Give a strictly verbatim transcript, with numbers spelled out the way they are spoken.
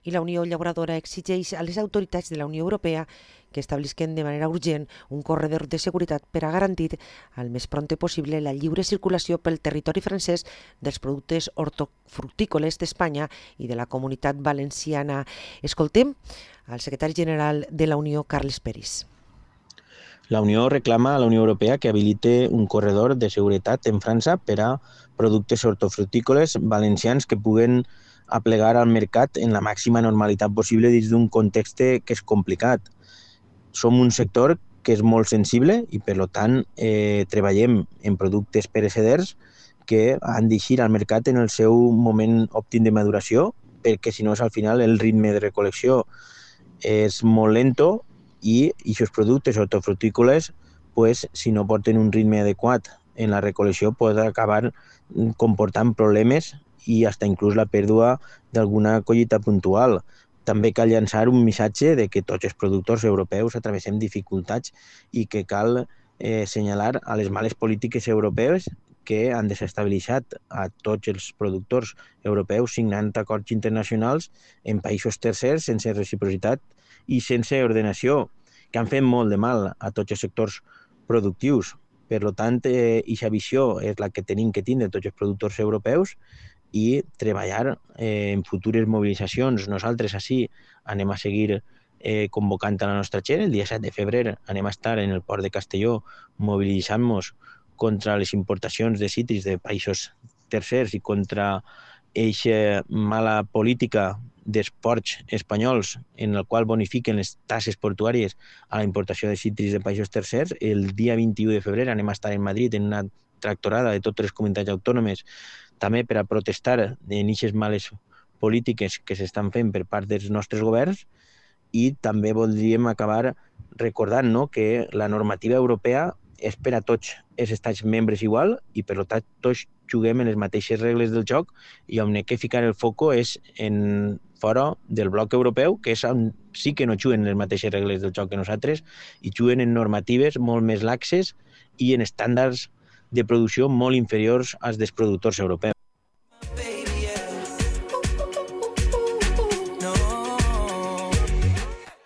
i la Unió Llauradora exigeix a les autoritats de la Unió Europea que establisquen de manera urgent un corredor de seguretat per a garantir al més prompte possible la lliure circulació pel territori francès dels productes hortofrutícoles d'Espanya i de la Comunitat Valenciana. Escoltem al secretari general de la Unió, Carles Peris. La Unió reclama a la Unió Europea que habilite un corredor de seguretat en França per a productes hortofrutícoles valencians que puguen aplegar al mercat en la màxima normalitat possible dins d'un context que és complicat. Som un sector que és molt sensible i, per tant, eh, treballem en productes pereceders que han d'eixir al mercat en el seu moment òptim de maduració, perquè si no, al final el ritme de recol·lecció és molt lento i aquests productes hortofrutícoles, pues, si no porten un ritme adequat en la recol·lecció, poden acabar comportant problemes i fins inclús la pèrdua d'alguna collita puntual. També cal llançar un missatge de que tots els productors europeus atravessem dificultats i que cal eh, assenyalar a les males polítiques europees que han desestabilitzat a tots els productors europeus signant acords internacionals en països tercers sense reciprocitat i sense ordenació, que han fet molt de mal a tots els sectors productius. Per tant, aquesta visió és la que tenim que tindre tots els productors europeus i treballar eh, en futures mobilitzacions. Nosaltres així anem a seguir eh, convocant a la nostra gent. El dia set de febrer anem a estar en el port de Castelló mobilitzant-nos contra les importacions de cítrics de països tercers i contra aquesta mala política dels ports espanyols en el qual bonifiquen les tasses portuàries a la importació de cítrics de països tercers. El dia vint-i-u de febrer anem a estar en Madrid en una tractorada de totes les comunitats autònomes també per a protestar en aquestes males polítiques que s'estan fent per part dels nostres governs i també voldríem acabar recordant no, que la normativa europea és per a tots els estats membres igual i per tant tots juguem en les mateixes regles del joc i on hem de ficar el foco és en fora del bloc europeu, que és on sí que no juguen les mateixes regles del joc que nosaltres i juguen en normatives molt més laxes i en estàndards de producció molt inferiors als dels productors europeus.